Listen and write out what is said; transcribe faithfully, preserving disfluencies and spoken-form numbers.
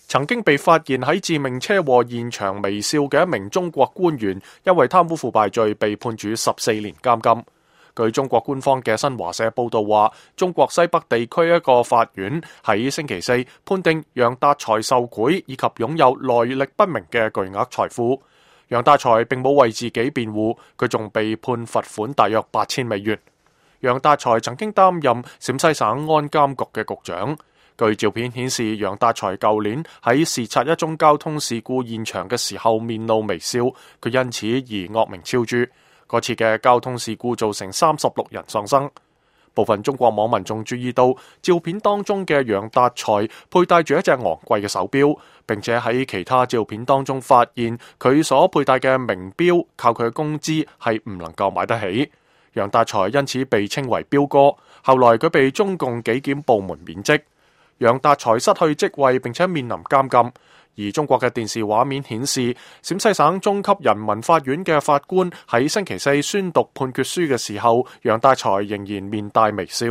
曾經被發現喺致命車禍現場微笑嘅一名中國官員，因為貪污腐敗罪被判處十四年監禁。據中國官方嘅新華社報道話，中國西北地區一個法院喺星期四判定楊達才受賄以及擁有來歷不明嘅巨額財富。楊達才並冇為自己辯護，佢仲被判罰款大約八千美元。楊達才曾經擔任陝西省安監局嘅局長。據照片顯示，楊達才舊年喺視察一宗交通事故現場嘅時候面露微笑，佢因此而惡名昭著。嗰次嘅交通事故造成三十六人喪生。部分中國網民仲注意到照片當中嘅楊達才佩戴住一隻昂貴嘅手錶，並且喺其他照片當中發現佢所佩戴嘅名錶靠佢嘅工資係唔能夠買得起。楊達才因此被稱為錶哥，後來佢被中共紀檢部門免職。楊達才失去職位並且面臨監禁。而中國嘅電視畫面顯示，陝西省中級人民法院嘅法官喺星期四宣讀判決書嘅時候，楊達才仍然面帶微笑。